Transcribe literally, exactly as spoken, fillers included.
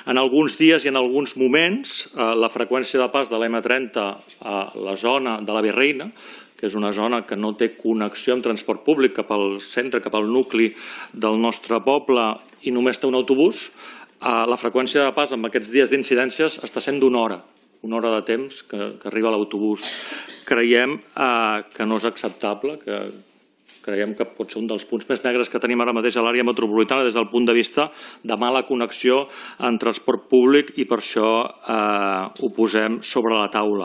En alguns dies i en alguns moments, la freqüència de pas de l'M trenta a la zona de la Via Reina, que és una zona que no té connexió amb transport públic cap al centre, cap al nucli del nostre poble i només té un autobús, la freqüència de pas en aquests dies d'incidències està sent d'una hora, una hora de temps que arriba l'autobús. Creiem que no és acceptable, que creiem que pot ser un dels punts més negres que tenim ara mateix a l'àrea metropolitana des del punt de vista de mala connexió en transport públic i per això ho posem sobre la taula.